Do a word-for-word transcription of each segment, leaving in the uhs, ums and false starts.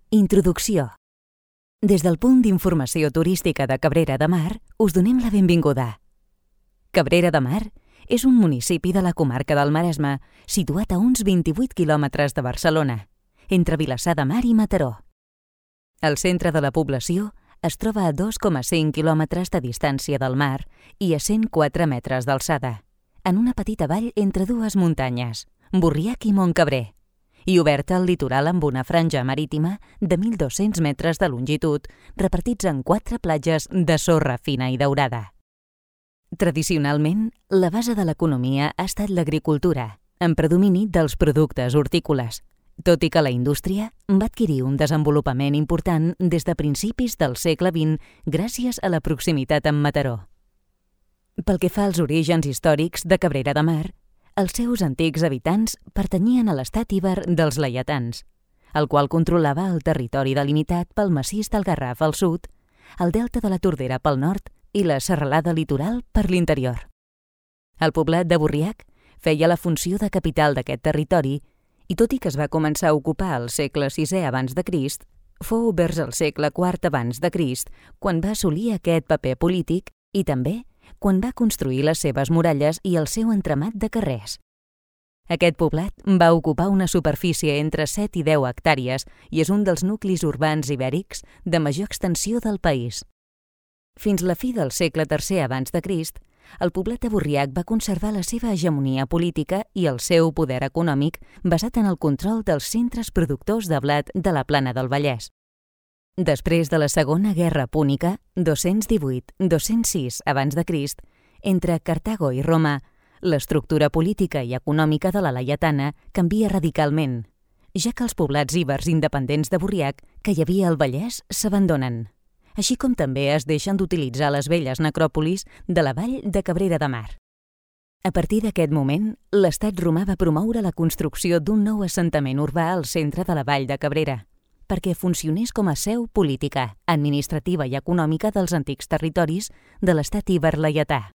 Introducció. Des del punt d'informació turística de Cabrera de Mar, us donem la benvinguda. Cabrera de Mar és un municipi de la comarca del Maresme, situat a uns vint-i-vuit quilòmetres de Barcelona, entre Vilassar de Mar i Mataró. El centre de la població es troba a dos coma cinc quilòmetres de distància del mar i a cent quatre metres d'alçada, en una petita vall entre dues muntanyes, Borriac i Montcabrer, i oberta al litoral amb una franja marítima de mil dos-cents metres de longitud, repartits en quatre platges de sorra fina i daurada. Tradicionalment, la base de l'economia ha estat l'agricultura, en predomini dels productes hortícoles, tot i que la indústria va adquirir un desenvolupament important des de principis del segle vint gràcies a la proximitat amb Mataró. Pel que fa als orígens històrics de Cabrera de Mar, els seus antics habitants pertanyien a l'estat iber dels laietans, el qual controlava el territori delimitat pel massís del Garraf al sud, el delta de la Tordera pel nord i la serralada litoral per l'interior. El poblat de Borriac feia la funció de capital d'aquest territori i tot i que es va començar a ocupar al segle sisè abans de Crist, fou vers el segle quart abans de Crist quan va assolir aquest paper polític i també quan va construir les seves muralles i el seu entramat de carrers. Aquest poblat va ocupar una superfície entre set i deu hectàrees i és un dels nuclis urbans ibèrics de major extensió del país. Fins la fi del segle tercer abans de Crist, el poblat de Borriac va conservar la seva hegemonia política i el seu poder econòmic basat en el control dels centres productors de blat de la Plana del Vallès. Després de la Segona Guerra Púnica, dos-cents divuit a dos-cents sis abans de Crist, entre Cartago i Roma, l'estructura política i econòmica de la laietana canvia radicalment, ja que els poblats ibers independents de Borriac que hi havia al Vallès s'abandonen, així com també es deixen d'utilitzar les velles necròpolis de la vall de Cabrera de Mar. A partir d'aquest moment, l'estat romà va promoure la construcció d'un nou assentament urbà al centre de la vall de Cabrera, perquè funcionés com a seu política, administrativa i econòmica dels antics territoris de l'estat iber laietà.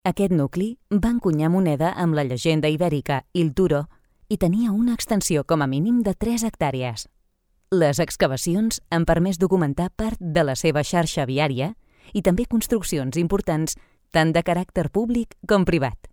Aquest nucli va encunyar moneda amb la llegenda ibèrica Il Turo i tenia una extensió com a mínim de tres hectàrees. Les excavacions han permès documentar part de la seva xarxa viària i també construccions importants tant de caràcter públic com privat.